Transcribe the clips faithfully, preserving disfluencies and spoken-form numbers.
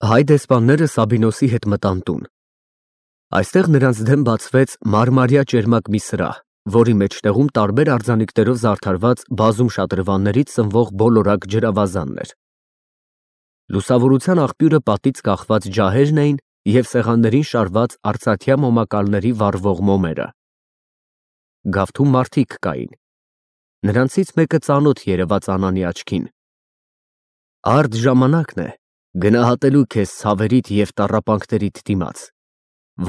Հայ դեսպանները Սաբինոսի հետ մտան տուն։ Այստեղ նրանց դեմ բացվեց մարմարյա ճերմակ մի սրահ, որի մեջտեղում տարբեր արձանիկներով զարդարված բազում շատրվաններից սնվող բոլորակ ջրավազաններ։ Լուսավորության աղբյուրը պատից կախված ջահերն էին և սեղաններին շարված արծաթյա մոմակալների վառվող մոմերը։ Գավթում մարդիկ կային։ Նրանցից մեկը ծանոթ երևաց Անանի աչքին։ Արդ ժամանակն է գնահատելու քեզ ցավերիդ և տառապանքներիդ դիմաց,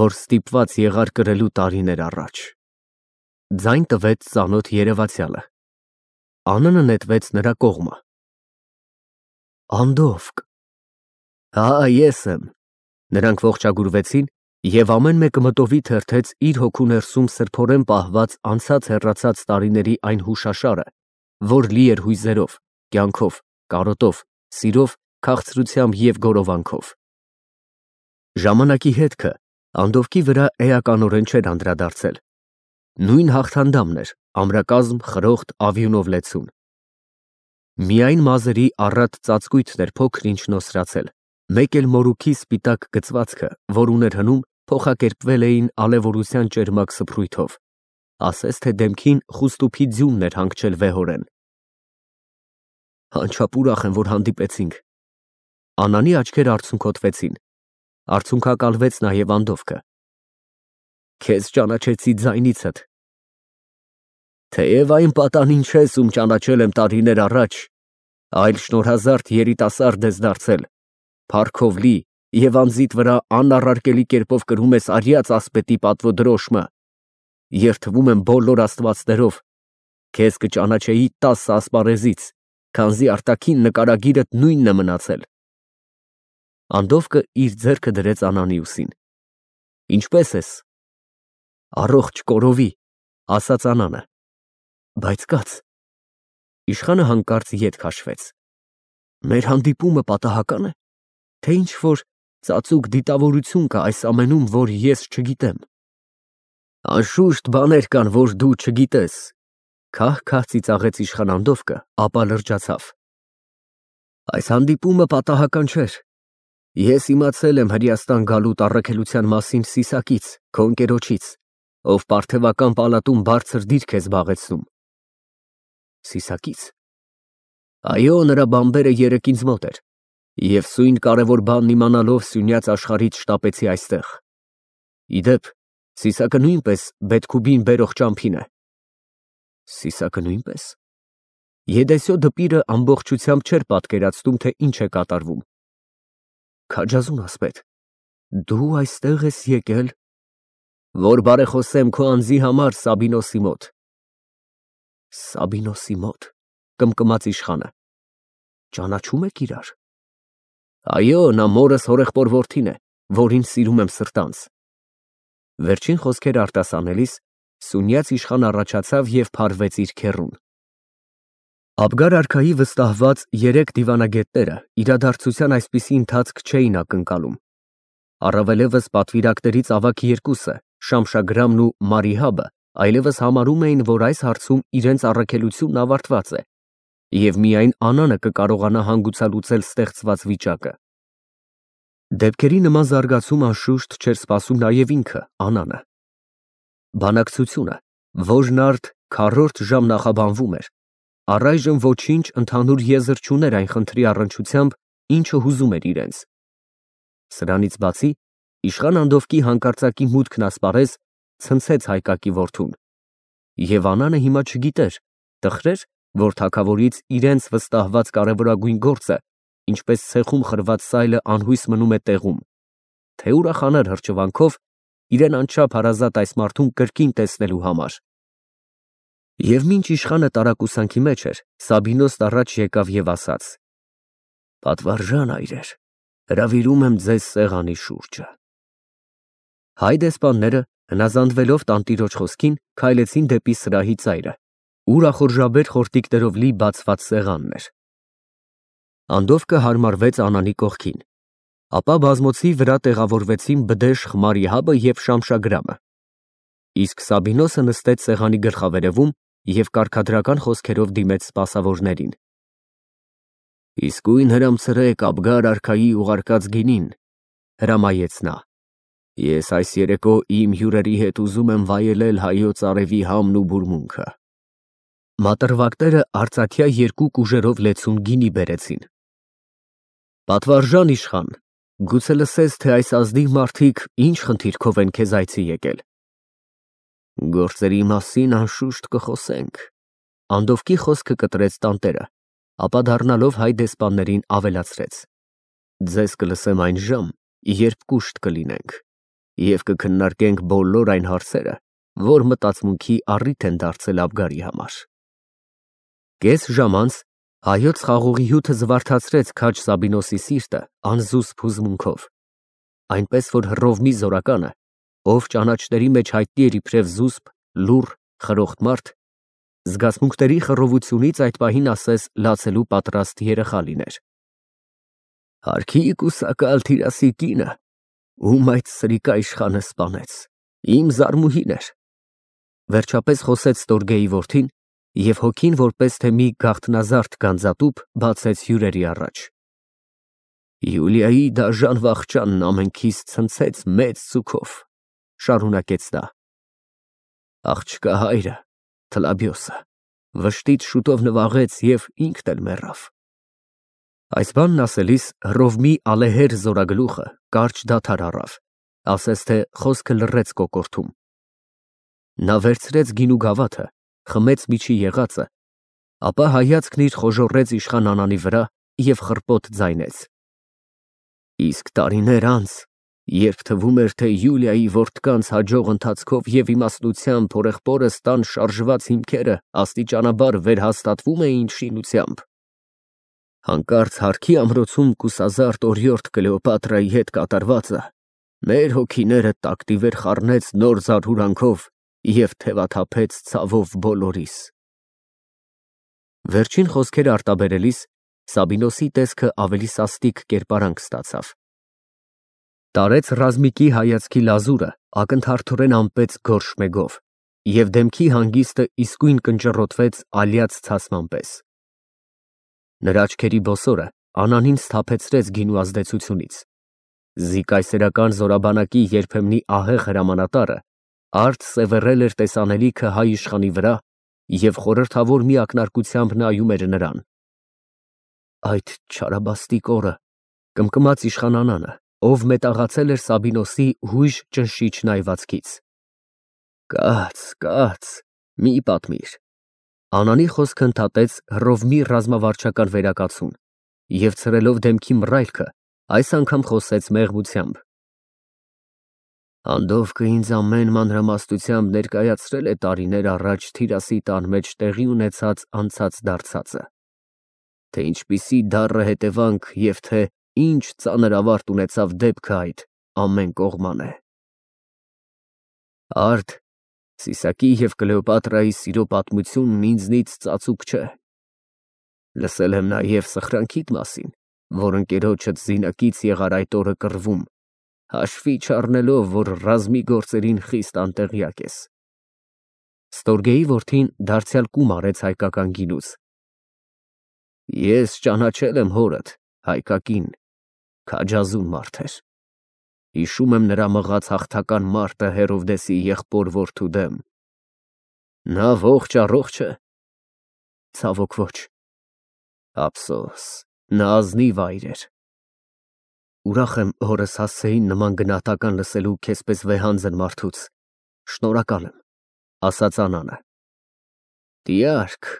որ ստիպված եղար կրելու տարիներ առաջ։ Ձայն տվեց ծանոթ երևացյալը։ Անանը նետվեց նրա կողմը։ Անդովկ։ Հա, ես եմ։ Նրանք ողջագուրվեցին, և ամեն մեկը մտովի թերթեց իր հոգու ներսում սրբորեն պահված անցած հեռացած տարիների այն հուշաշարը, որ լի էր հույզերով, կյանքով, կարոտով, սիրով, քաղցրությամբ և գորովանքով։ Ժամանակի հետքը Անդովկի վրա էականորեն չէր անդրադարձել։ Նույն հաղթանդամն էր, ամրակազմ, խրոխտ, ավյունով լեցուն։ Միայն մազերի առատ ծածկույթն էր փոքր-ինչ նոսրացել, մեկ էլ մորուքի սպիտակ գծվածքը, որ ուներ հնում, փոխակերպվել էին ալևորության ճերմակ սփռույթով, ասես թե դեմքին խուստուփի ձյունն էր հանգչել վեհորեն։ Անչափ ուրախ եմ, որ հանդիպեցինք։ Անանի աչքերը արցունքոտվեցին, արցունքակալվեց նաև Անդովկը։ Քեզ ճանաչեցի ձայնիցդ։ Թեև այն պատանին չես, ում ճանաչել եմ տարիներ առաջ, այլ շնորհազարդ երիտասարդ ես դարձել, փառքով լի և անձիդ վրա անառարկելի կերպով կրում ես արյաց ասպետի պատվո դրոշմը, երդվում եմ բոլոր աստվածներով, քեզ կճանաչեի տասը ասպարեզից, քանզի արտաքին նկարագիրդ նույնն է մնացել։ Անդովկը իր ձեռքը դրեց Անանի ուսին։ Ինչպե՞ս ես։ Առողջ կորովի, ասաց Անանը։ Բայց կաց։ Իշխանը հանկարծ ետ քաշվեց։ Մեր հանդիպումը պատահակա՞ն է, թե ինչ-որ ծածուկ դիտավորություն կա այս ամենում, որ ես չգիտեմ։ Անշուշտ բաներ կան, որ դու չգիտես, քահ-քահ ծիծաղեց իշխան Անդովկը, ապա լրջացավ։ Այս հանդիպումը պատահական չէր։ Ես իմացել եմ Հրեաստան գալուտ առաքելության մասին Սիսակից, քո ընկերոջից, ով պարթևական պալատում բարձր դիրք է զբաղեցնում։ Սիսակից։ Այո, նրա բանբերը երեկ ինձ մոտ էր, և սույն կարևոր բանն իմանալով սյունյաց աշխարհից շտապեցի այստեղ։ Իդեպ, Սիսակը նույնպես Բեթքուբին բերող ճամփին է։ Սիսակը նույնպես։ Եդեսյո դպիրը ամբողջությամբ չէր պատկերացնում, թե ինչ է կատարվում։ Քաջազուն ասպետ, դու այստեղ ես եկել, որ բարեխոսեմ քո անձի համար Սաբինոսի մոտ։ Սաբինոսի մոտ, կմկմաց իշխանը։ Ճանաչում եք իրար։ Այո, նա մորս հորեղբոր որդին է, որին սիրում եմ սրտանց։ Վերջին խոսքերը արտասանելիս սունյաց իշխան առաջացավ և փարվեց իր քեռուն։ Աբգար արքայի վստահված երեք դիվանագետները իրադարձության այսպիսի ընթացք չէին ակնկալում։ Առավելևս պատվիրակներից ավագ երկուսը, Շամշագրամն ու Մարիհաբը, այլևս համարում էին, որ այս հարցում իրենց առաքելությունն ավարտված է, և միայն Անանը կկարողանա հանգուցալուծել ստեղծված վիճակը։ Դեպքերի նման զարգացում անշուշտ չէր սպասում նաև ինքը, Անանը։ Բանակցությունը, որն արդ քառորդ ժամ նախաբանվում էր, առայժմ ոչինչ ընդհանուր եզր չուներ այն խնդրի առնչությամբ, ինչը հուզում էր իրենց։ Սրանից բացի, իշխան Անդովկի հանկարծակի մուտքն ասպարեզ ցնցեց հայկակի որդուն, և Անանը հիմա չգիտեր, տխրեր, որ թագավորից իրենց վստահված կարևորագույն գործը, ինչպես ցեխում խրված սայլը անհույս մնում է տեղում, թե ուրախանար հրճվանքով իրեն անչափ հարազատ այս մարդուն կրկին տեսնելու համար։ Եվ մինչ իշխանը տարակուսանքի մեջ էր, Սաբինոսն առաջ եկավ և ասաց. Պատվարժան այրեր, հրավիրում եմ ձեզ սեղանի շուրջը։ Հայ դեսպանները, հնազանդվելով տանտիրոջ խոսքին, քայլեցին դեպի սրահի ծայրը, ուր ախորժաբեր խորտիկներով լի բացված սեղանն էր։ Անդովկը հարմարվեց Անանի կողքին, ապա բազմոցի վրա տեղավորվեցին Բդեշխ, Մարիհաբը և Շամշագրամը, իսկ Սաբինոսը նստեց սեղանի գլխավերևում և կարգադրական խոսքերով դիմեց սպասավորներին։ Իսկույն հրամցրեք Աբգար արքայի ուղարկած գինին, հրամայեց նա։ Ես այս երեկո իմ հյուրերի հետ ուզում եմ վայելել հայոց արևի համն ու բուրմունքը։ Մատրվակները արծաթյա երկու կուժերով լեցուն գինի բերեցին։ Պատվարժան իշխան, գուցե լսես, թե այս ազնիվ մարդիկ ինչ խնդիրքով են քեզ այցի եկել։ Գործերի մասին անշուշտ կխոսենք։ Անդովկի խոսքը կտրեց տանտերը, ապա դառնալով հայ դեսպաններին ավելացրեց. Ձեզ կլսեմ այն ժամ, երբ կուշտ կլինենք, և կքննարկենք բոլոր այն հարցերը, որ մտածմունքի առիթ են դարձել Աբգարի համար։ Կես ժամ անց հայոց խաղողի հյութը զվարթացրեց քաջ Սաբինոսի սիրտը անզուսպ հուզմունքով, այնպես որ Հռովմի զորականը, ով ճանաչների մեջ հայտնի էր իբրև զուսպ, լուռ, խրոխտ մարդ, զգացմունքների խռովությունից այդ պահին ասես լացելու պատրաստ երեխա լիներ։ Հարքի կուսակալ Թիրասի կինը, ում այդ սրիկա իշխանը սպանեց, իմ զարմուհին էր, վերջապես խոսեց Ստորգեի որդին, և հոգին որպես թե մի գաղտնազարդ գանձատուփ բացեց հյուրերի առաջ։ Յուլիայի դաժան վախճանն ամենքիս ցնցեց մեծ ծուქով, շարունակեց նա։ Աղջկա հայրը, Թլաբիոսը, վշտից շուտով նվաղեց և ինքն էլ մեռավ։ Այս բանն ասելիս Հռովմի ալեհեր զորագլուխը կարճ դադար առավ, ասես թե խոսքը լռեց կոկորդում։ Նա վերցրեց գինու գավաթը, խմեց միջի եղածը, ապա հայացքն իր խոժոռեց իշխան Անանի վրա և խռպոտ ձայնեց. Իսկ տարիներ անց, երբ թվում էր, թե Յուլիայի որդկանց հաջող ընթացքով և իմաստնությամբ հորեղբորս տան շարժված հիմքերը աստիճանաբար վերհաստատվում էին շինությամբ, հանկարծ Հարքի ամրոցում կուսազարդ օրիորդ Կլեոպատրայի հետ կատարվածը մեր հոգիները տակտիվեր խառնեց նոր զարհուրանքով և թևաթափեց ցավով բոլորիս։ Վերջին խոսքերը արտաբերելիս Սաբինոսի տեսքը ավելի սաստիկ կերպարանք ստացավ։ Տարեց ռազմիկի հայացքի լազուրը ակնթարթորեն ամպեց գորշ մեգով, և դեմքի հանգիստը իսկույն կնճռոտվեց ալյաց ցասման պես։ Նրա աչքերի բոսորը Անանին սթափեցրեց գինու ազդեցությունից։ Զի կայսերական զորաբանակի երբեմնի ահեղ հրամանատարը արդ սևեռել էր տեսանելիքը հայ իշխանի վրա և խորհրդավոր մի ակնարկությամբ նայում էր նրան։ Այդ չարաբաստիկ օրը, կմկմաց իշխան Անանը, ով մետաղացել էր Սաբինոսի հույժ ճնշիչ նայվածքից։ Կաց, կաց, մի պատմիր։ Անանի խոսքը ընդհատեց Հռովմի ռազմավարչական վերակացուն և ցրելով դեմքի մռայլքը, այս անգամ խոսեց մեղմությամբ։ Անդովկը ինձ ամեն մանրամասնությամբ ներկայացրել է տարիներ առաջ Թիրասի տան մեջ տեղի ունեցած անցած֊դարձածը, թե ինչպիսի դառը հետևանք և թե ինչ ծանր ավարտ ունեցավ դեպքը այդ ամեն կողմանե։ Արդ Սիսակի և Կլեոպատրայի սիրո պատմությունն ինձնից ծածուկ չէ։ Լսել եմ նաև սխրանքիդ մասին, որ ընկերոջդ զինակից եղար այդ օրը կռվում, հաշվի չառնելով, որ ռազմի գործերին խիստ անտեղյակ ես։ Ստորգեի որդին դարձյալ կում արեց հայկական գինուց։ Ես ճանաչել եմ հորդ, հայկակին, քաջազուն մարդ էր։ Հիշում եմ նրա մղած հաղթական մարտը Հերովդեսի եղբոր որդու դեմ։ Նա ողջ֊առողջ է։ Ցավոք ոչ։ Ափսոս, նա ազնիվ այր էր։ Ուրախ եմ հորս հասցեին նման գնահատական լսելու քեզպես վեհանձն մարդուց, շնորհակալ եմ, ասաց Անանը։ Տյարք,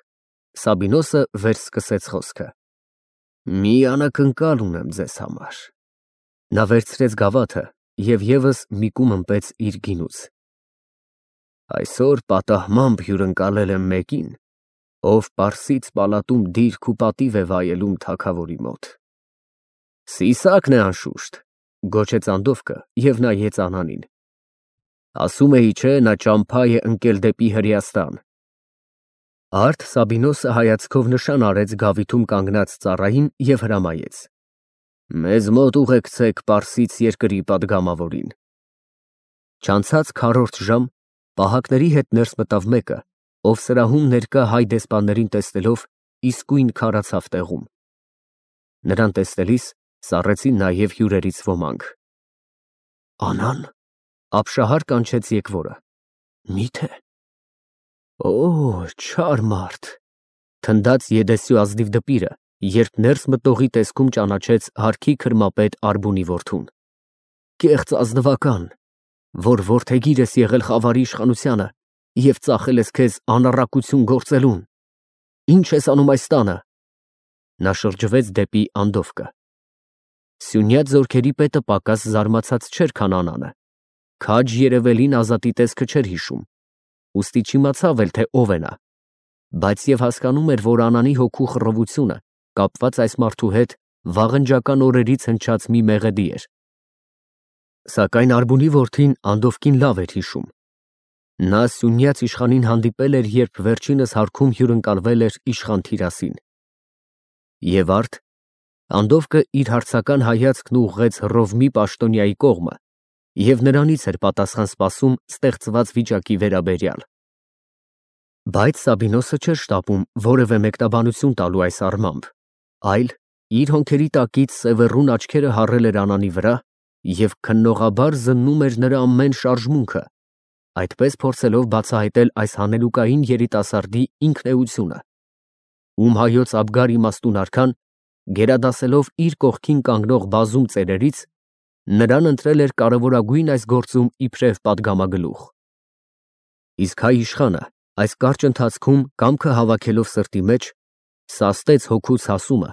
Սաբինոսը վերսկսեց խոսքը, մի անակնկալ ունեմ ձեզ համար։ Նա վերցրեց գավաթը և ևս մի կում ըմպեց իր գինուց։ Այսօր պատահմամբ հյուրընկալել եմ մեկին, ով Պարսից պալատում դիրք ու պատիվ է վայելում թագավորի մոտ։ Սիսակն է անշուշտ, գոչեց Անդովկը և նայեց Անանին։ Ասում էի, չէ, նա ճամփա է ընկել դեպի Հրեաստան։ Արդ Սաբինոսը հայացքով նշան արեց գավիթում կանգնած ծառային և հրամայեց. Մեզ մոտ ուղեկցեք Պարսից երկրի պատգամավորին։ Չանցած քառորդ ժամ պահակների հետ ներս մտավ մեկը, ով սրահում ներկա հայ դեսպաններին տեսնելով իսկույն քարացավ տեղում։ Նրան տեսնելիս սառեցին նաև հյուրերից ոմանք։ Անան, ապշահար կանչեց եկվորը։ Մի՞թե։ Օ, չար մարդ, թնդաց Եդեսյու ազնիվ դպիրը, երբ ներս մտնողի տեսքում ճանաչեց հարկի քրմապետ Արբունի որդուն։ Կեղծ ազնվական, որ որդեգիր ես եղել խավարի իշխանությանը և ծախել ես քեզ անառակություն գործելուն։ Ի՞նչ ես անում այս տանը։ Նա շրջվեց դեպի Անդովկը։ Սյունյաց զորքերի պետը պակաս զարմացած չէր, քան Անանը, քաջ երևելին Ազատի տեսքը չէր հիշում, ուստի չիմացավ էլ, թե ով է նա, բայց և հասկանում էր, որ Անանի հոգու խռովությունը կապված այս մարդու հետ վաղնջական օրերից հնչած մի մեղեդի էր։ Սակայն Արբունի որդին Անդովկին լավ էր հիշում։ Նա սյունյաց իշխանին հանդիպել էր, երբ վերջինս հարկում հյուրընկալվել էր իշխան Թիրասին։ Եվ արդ Անդովկը իր հարցական հայացքն ուղղեց Հռովմի պաշտոնյայի կողմը և նրանից էր պատասխան սպասում ստեղծված վիճակի վերաբերյալ։ Բայց Սաբինոսը չէր շտապում որևէ մեկնաբանություն տալու այս առմամբ, այլ իր հոնքերի տակից սևեռուն աչքերը հառել էր Անանի վրա և քննողաբար զննում էր նրա ամեն շարժմունքը, այդպես փորձելով բացահայտել այս հանելուկային երիտասարդի ինքնեությունը, ում հայոց Աբգար իմաստուն արքան, գերադասելով իր կողքին կանգնող բազում ծերերից, նրան ընտրել էր կարևորագույն այս գործում իբրև պատգամագլուխ։ Իսկ հայ իշխանը այս կարճ ընթացքում կամքը հավաքելով սրտի մեջ, սաստեց հոգուց հասումը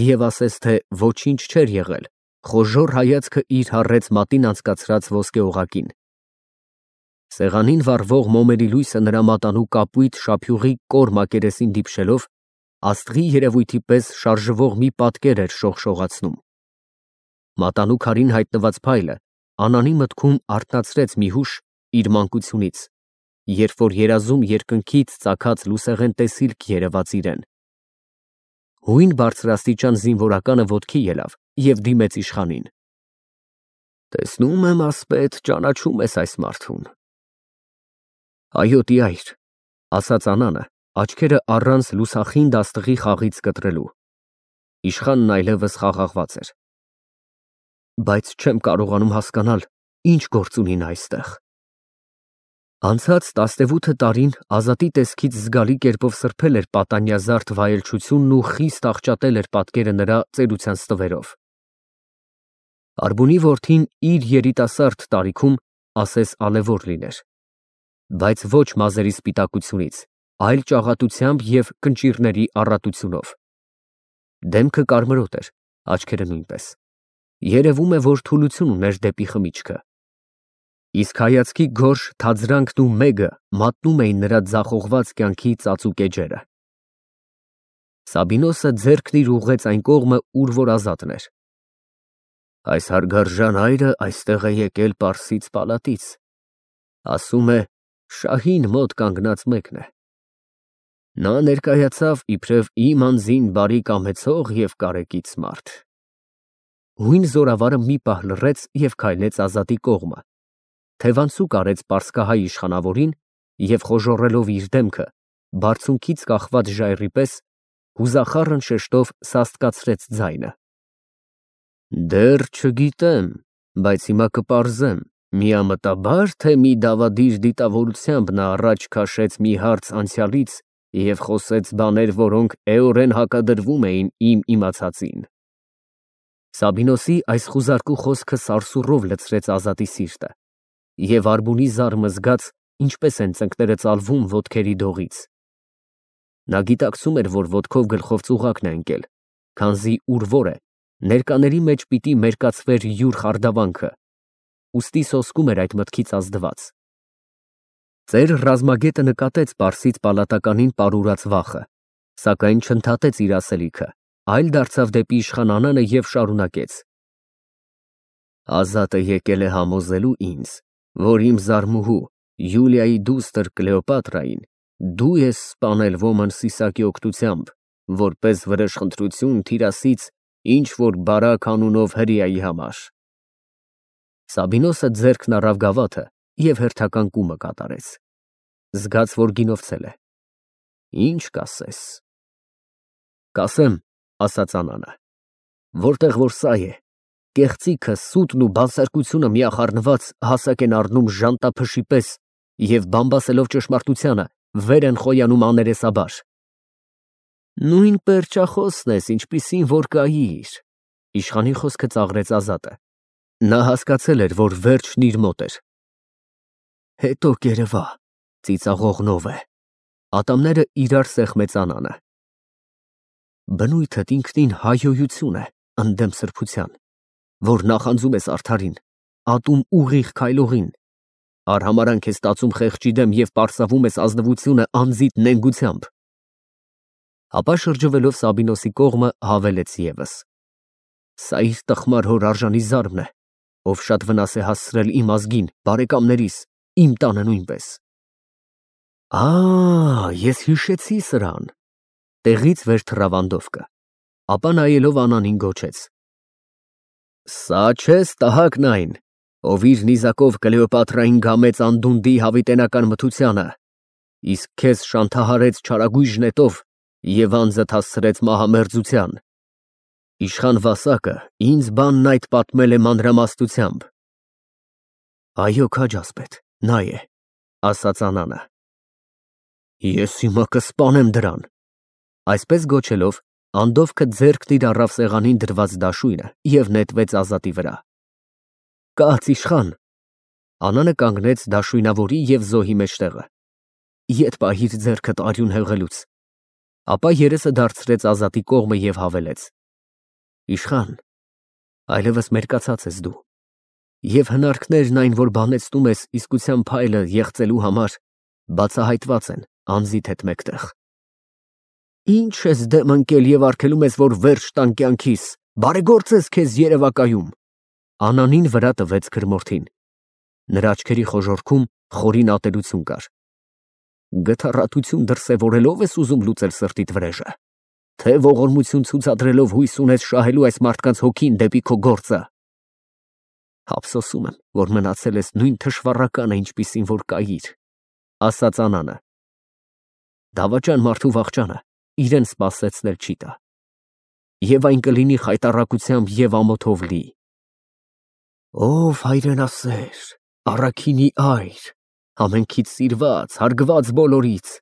և ասեց, թե ոչինչ չէր եղել, խոժոռ հայացքը իր հառեց մատին անցկացրած ոսկե օղակին։ Սեղանին վառվող մոմերի լույսը նրա մատանու կապույտ շափյուղի կոր մակերեսին դիպչելով, աստղի երևույթի պես շարժվող մի պատկեր էր շողշողացնում։ Մատանու քարին հայտնված փայլը Անանի մտքում արթնացրեց մի հուշ իր մանկությունից, երբ որ երազում երկնքից ծագած լուսեղեն տեսիլք երևաց իրեն։ Հույն բարձրաստիճան զինվորականը ոտքի ելավ և դիմեց իշխանին։ Տեսնում եմ, ասպետ, ճանաչում ես այս մարդուն։ Այո, տյայր, ասաց Անանը, աչքերը առանց լուսախինդ աստղի խաղից կտրելու։ Իշխանն այլևս խաղաղված էր։ Բայց չեմ կարողանում հասկանալ, ինչ գործ ունի նա այստեղ։ Անցած տասնևութ տարին Ազատի տեսքից զգալի կերպով սրբել էր պատանյազարդ վայելչությունն ու խիստ աղճատել էր պատկերը նրա ծերության ստվերով։ Արբունի որդին իր երիտասարդ տարիքում ասես ալևոր լիներ, բայց ոչ մազերի սպիտակությունից, այլ ճաղատությամբ և կնճիռների առատությունով։ Դեմքը կարմրոտ էր, աչքերը նույնպես։ Երևում է, որ թուլություն ուներ դեպի խմիչքը։ Իսկ հայացքի գորշ թաձրանքն ու մեգը մատնում էին նրա ձախողված կյանքի ծածուկ էջերը։ Սաբինոսը ձեռքն իր ուղղեց այն կողմը, ուր որ Ազատն էր։ Այս հարգարժան հայրը այստեղ է եկել Պարսից պալատից, ասում է, շահին մոտ կանգնած մեկն է։ Նա ներկայացավ իբրև իմ անձին բարի կամեցող և կարեկից մարդ։ Հույն զորավարը մի պահ լռեց և քայլեց Ազատի կողմը, թևանցուկ արեց պարսկահայ իշխանավորին և խոժոռելով իր դեմքը, բարձունքից կախված ժայռի պես, հուզախառն շեշտով սաստկացրեց ձայնը։ Դեռ չգիտեմ, բայց հիմա կպարզեմ, միամտաբա՞ր, թե մի դավադիր դիտավորությամբ նա առաջ քաշեց մի հարց անցյալից և խոսեց բաներ, որոնք էորեն հակադրվում էին իմ իմացածին։ Սաբինոսի այս խուզարկու խոսքը սարսուռով լցրեց Ազատի սիրտը, և Արբունի զարմը զգաց, ինչպես են ծնկները ծալվում ոտքերի դողից։ Նա գիտակցում էր, որ ոտքով գլխով ծուղակն է ընկել, քանզի ուր որ է, ներկաների մեջ պիտի մերկացվեր յուր խարդավանքը, ուստի սոսկում էր այդ մտքից ազդված։ Ծեր ռազմագետը նկատեց Պարսից պալատականին պարուրած վախը, սակայն չընդհատեց իր ասելիքը, այլ դարձավ դեպի իշխան Անանը և շարունակեց. Ազատը եկել է համոզելու ինձ, որ իմ զարմուհու Յուլիայի դուստր Կլեոպատրային դու ես սպանել ոմն Սիսակի օգնությամբ, որպես վրեժխնդրություն Թիրասից ինչ֊որ բարակ անունով հրեայի համար։ Սաբինոսը ձեռքն առավ գավաթը և հերթական կումը կատարեց։ Զգաց, որ գինովցել է։ Ինչ կասես։ Կասեմ, ասաց Անանը, որտեղ որ սա է, կեղծիքը, սուտն ու բանսարկությունը միախառնված հասակ են առնում ժանտափշի պես և բամբասելով ճշմարտությանը, վեր են խոյանում աներեսաբար։ Նույն պերճախոսն ես, ինչպիսին որ կայիր, իշխանի խոսքը ծաղրեց Ազատը։ Նա հասկացել էր, որ վերջն իր մոտ էր։ Հետո կերևա, ծիծաղողնով է, ատամները իրար սեղմեցանանը։ Բնույթդ ինքնին հայհոյություն է, ընդդեմ սրբության, որ նախանձում ես արդարին, ատում ուղիղ քայլողին, արհամարանք ես ստացում խեղճի դեմ և պարսավում ես ազնվությունը անձիդ նենգությամբ։ Ապա շրջվելով Սաբինոսի կողմը հավելեց ևս. Սա իր տխմար հոր արժանի զարմն է, ով շատ վնաս է հասցրել իմ ազգին, բարեկամներիս, իմ տանը նույնպես։ Ա, ես հիշեցի սրան։ Տեղից վեր թռավ Անդովկը, ապա նայելով Անանին գոչեց. Սա չես տհակն այն, ով իր նիզակով Կլեոպատրային գամեց անդունդի հավիտենական մթությանը, իսկ քեզ շանթահարեց չարագույժ նետով և անձդ հասցրեց մահամերձության։ Իշխան Վասակը ինձ բանն այդ պատմել է մանրամասնությամբ։ Այո, քաջ ասպետ, նա է, ասաց Անանը։ Ես հիմա կսպանեմ դրան։ Այսպես գոչելով, Անդովկը ձեռքն իր առավ սեղանին դրված դաշույնը և նետվեց Ազատի վրա։ Կաց իշխան։ Անանը կանգնեց դաշույնավորի և զոհի մեջտեղը։ Ետ պահիր ձեռքդ արյուն հեղելուց։ Ապա երեսը դարձրեց Ազատի կողմը և հավելեց. Իշխան, այլևս մերկացած ես դու, և հնարքներն այն, որ բանեցնում ես իսկության փայլը եղծելու համար, բացահայտված են անձիդ հետ մեկտեղ։ Ինչ ես դեմ ընկել և արգելում ես, որ վերջ տան կյանքիս, բարեգործ ես քեզ երևակայում։ Անանին վրա տվեց քրմորթին։ Նրա աչքերի խոժոռքում խորին ատելություն կար։ Գթառատություն դրսևորելով ես ուզում լուծել սրտիդ վրեժը, թե ողորմություն ցուցադրելով հույս ունես շահելու այս մարդկանց հոգին դեպի քո գործը։ Ափսոսում եմ, որ մնացել ես նույն թշվառականը, ինչպիսին որ կայիր, ասաց Անանը։ Դավաճան մարդու վախճանը իրեն սպասեցնել չի տա, և այն կլինի խայտառակությամբ և ամոթով լի։ Ով հայրենասեր, առաքինի այր, ամենքից սիրված, հարգված բոլորից։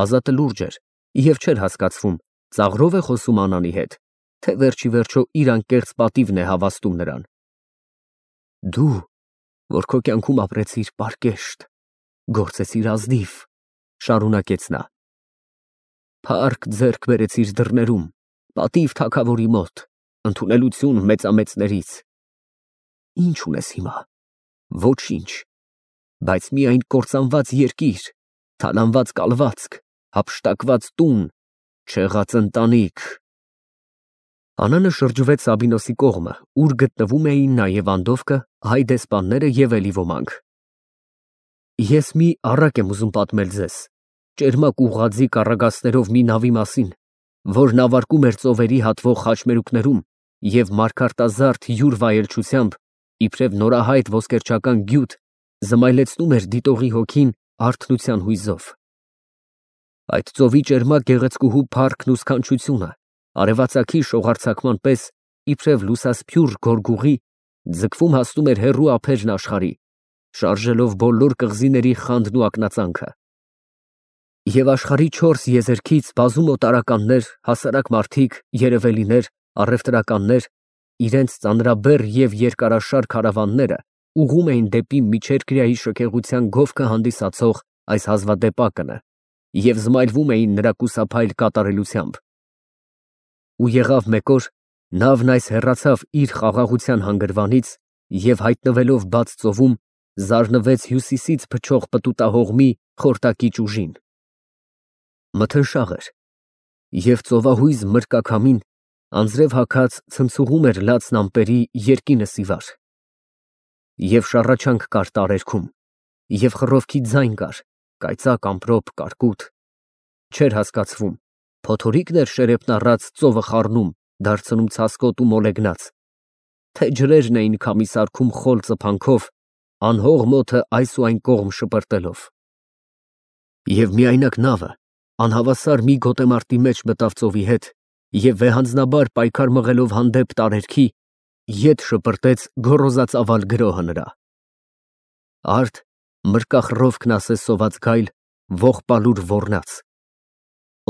Ազատը լուրջ էր և չէր հասկացվում, ծաղրով է խոսում Անանի հետ, թե վերջի վերջո իր անկեղծ պատիվն է հավաստում նրան։ Դու, որ քո կյանքում ապրեցիր պարկեշտ, գործեցիր ազնիվ, շարունակեց նա, փառք ձեռք բերեցիր դռներում, պատիվ թագավորի մոտ, ընդունելություն մեծամեծներից։ Ինչ ունես հիմա։ Ոչինչ, բայց միայն կործանված երկիր, թալանված կալվածք, հափշտակված տուն, չեղած ընտանիք։ Անանը շրջվեց Սաբինոսի կողմը, ուր գտնվում էին նաև Անդովկը, հայ դեսպանները և էլի ոմանք։ Ես մի առակ եմ ուզում պատմել ձեզ, ճերմակ ուղղաձիգ առագաստերով մի նավի մասին, որ նավարկում էր ծովերի հատվող խաչմերուկներում և մարգարտազարդ յուր վայելչությամբ, իբրև նորահայտ ոսկերչական գյուտ, զմայլեցնում էր դիտողի հոգին արթնության հույզով։ Այդ ծովի ճերմակ գեղեցկուհու փառքն ու սքանչությունը, արևածագի շողարձակման պես, իբրև լուսասփյուռ գորգուղի, ձգվում հասնում էր հեռու ափերն աշխարհի, շարժելով բոլոր կղզիների խանդն ու ակնածանքը։ Եվ աշխարհի չորս եզերքից բազում օտարականներ, հասարակ մարդիկ, երևելիներ, առևտրականներ, իրենց ծանրաբեռ և երկարաշար քարավանները ուղղում էին դեպի միջերկրյայի շքեղության գովքը հանդիսացող այս հազվադեպ ակնը և զմայլվում էին նրա կուսափայլ կատարելությամբ։ Ու եղավ մեկ օր, նավն այս հեռացավ իր խաղաղության հանգրվանից և հայտնվելով բաց ծովում, զարնվեց հյուսիսից փչող պտուտահողմի խորտակիչ ուժին։ Մթնշաղ էր, և ծովահույզ մրկաքամին անձրև հագած ցնցուղում էր լացն ամպերի երկինը սիվար։ Եվ շառաչանք կար տարերքում, և խռովքի ձայն կար, կայծակ, ամպրոպ, կարկուտ, չէր հասկացվում, փոթորիկն էր շերեփն առած ծովը խառնում, դարձնում ցասկոտ ու մոլեգնած, թե ջրերն էին քամի սարքում խոր ծփանքով, անհող մոթը այս ու այն կողմ շպրտելով։ Եվ միայնակ նավը անհավասար մի գոտեմարտի մեջ մտավ ծովի հետ և վեհանձնաբար պայքար մղելով հանդեպ տարերքի, ետ շպրտեց գոռոզածավալ գրոհը նրա։ Արդ մրկախռովքն ասես սոված գայլ, ողբալուր ոռնաց,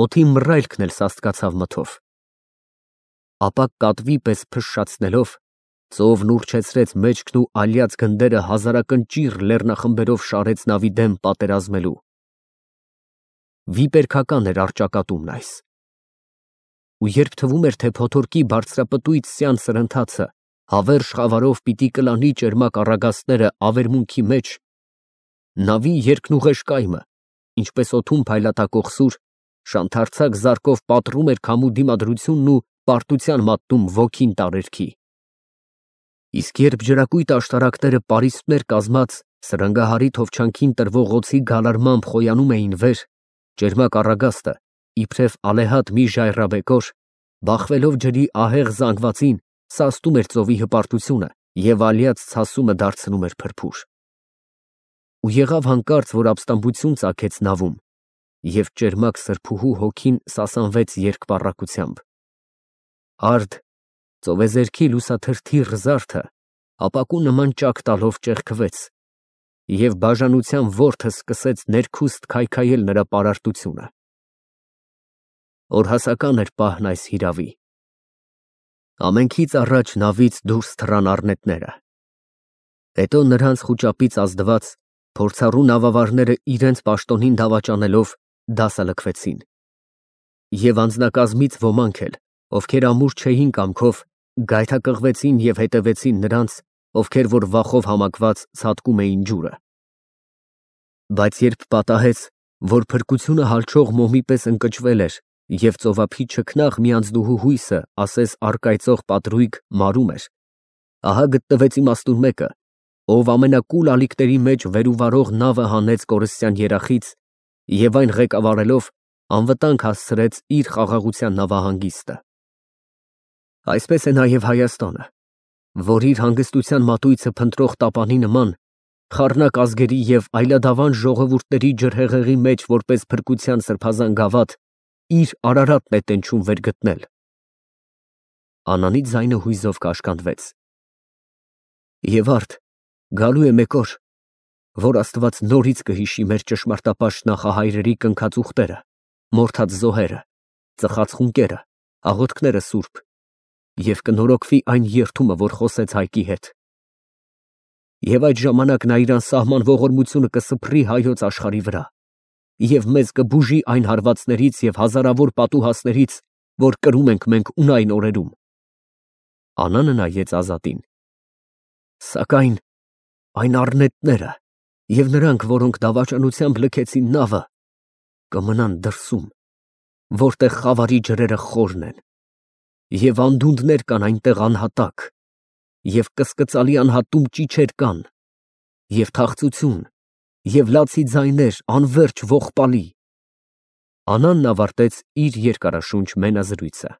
օդի մռայլքն էլ սաստկացավ մթով։ Ապա կատվի պես փշշացնելով, ծովն ուռչեցրեց մեջքն ու ալյաց գնդերը հազարակնճիռ լեռնախմբերով շարեց նավի դեմ պատերազմելու։ Վիպերգական էր առճակատումն այս։ Ու երբ թվում էր, թե փոթորկի բարձրապտույտ սյան սրընթացը հավերժ խավարով պիտի կլանի ճերմակ առագաստները ավերմունքի մեջ, նավի երկնուղեշ կայմը, ինչպես օդում փայլատակող սուր, շանթարցակ զարկով պատռում էր քամու դիմադրությունն ու պարտության մատնում ոգին տարերքի։ Իսկ երբ ջրակույտ աշտարակները պարիսպներ կազմած սրընգահարի թովչանքին տրվող օձի գալարմամբ խոյանում էին վեր, ճերմակ առագաստը, իբրև ալեհատ մի ժայռաբեկոր, բախվելով ջրի ահեղ զանգվածին, սաստում էր ծովի հպարտությունը և ալյաց ցասումը դարձնում էր փրփուր։ Ու եղավ հանկարծ, որ ապստամբություն ծագեց նավում, և ճերմակ սրբուհու հոգին սասանվեց երկպառակությամբ։ Արդ ծովեզերքի լուսաթրթիռ զարդը ապակու նման ճաք տալով ճեղքվեց, և բաժանության որդը սկսեց ներքուստ քայքայել նրա պարարտությունը։ Օրհասական էր պահն այս հիրավի։ Ամենքից առաջ նավից դուրս թռան առնետները։ Հետո նրանց խուճապից ազդված փորձառու նավավարները իրենց պաշտոնին դավաճանելով դասալքվեցին։ Եվ անձնակազմից ոմանք էլ, ովքեր ամուր չէին կամքով, գայթակղվեցին և հետևեցին նրանց, ովքեր որ վախով համակված ցատկում էին ջուրը։ Բայց երբ պատահեց, որ փրկությունը հալչող մոմի պես ընկճվել էր և ծովափի չքնաղ մի անձնուհու հույսը ասես առկայծող պատրույգ մարում էր, ահա գտնվեց իմաստուն մեկը, ով ամենակուլ ալիքների մեջ վեր ու վարող նավը հանեց կորստյան երախից և այն ղեկավարելով անվտանգ հասցրեց իր խաղաղության նավահանգիստը։ Այսպես է նաև Հայաստանը, որ իր հանգստության մատույցը փնտրող տապանի նման, խառնակ ազգերի և այլադավան ժողովուրդների ջրհեղեղի մեջ որպես փրկության սրբազան գավաթ, իր Արարատն է տենչում վեր գտնել։ Անանի ձայնը հույզով կաշկանդվեց։ Եվ արդ գալու է մեկ օր, որ Աստված նորից կհիշի մեր ճշմարտապաշտ նախահայրերի կնքած ուղտերը, մորթած զոհերը, ծխած խունկերը, աղոթքները սուրբ, և կնորոգվի այն երդումը, որ խոսեց Հայկի հետ։ Եվ այդ ժամանակ նա իր անսահման ողորմությունը կսփռի հայոց աշխարհի վրա, և մեզ կբուժի այն հարվածներից և հազարավոր պատուհասներից, որ կրում ենք մենք ունայն օրերում։ Անանը նայեց Ազատին։ Սակայն այն առնետները և նրանք, որոնք դավաճանությամբ լքեցին նավը, կմնան դրսում, որտեղ խավարի ջրերը խորն են, և անդունդներ կան այնտեղ անհատակ, և կսկծալի անհատում ճիչեր կան, և թախծություն, և լացի ձայներ անվերջ ողբալի։ Անանն ավարտեց իր երկարաշունչ մենազրույցը։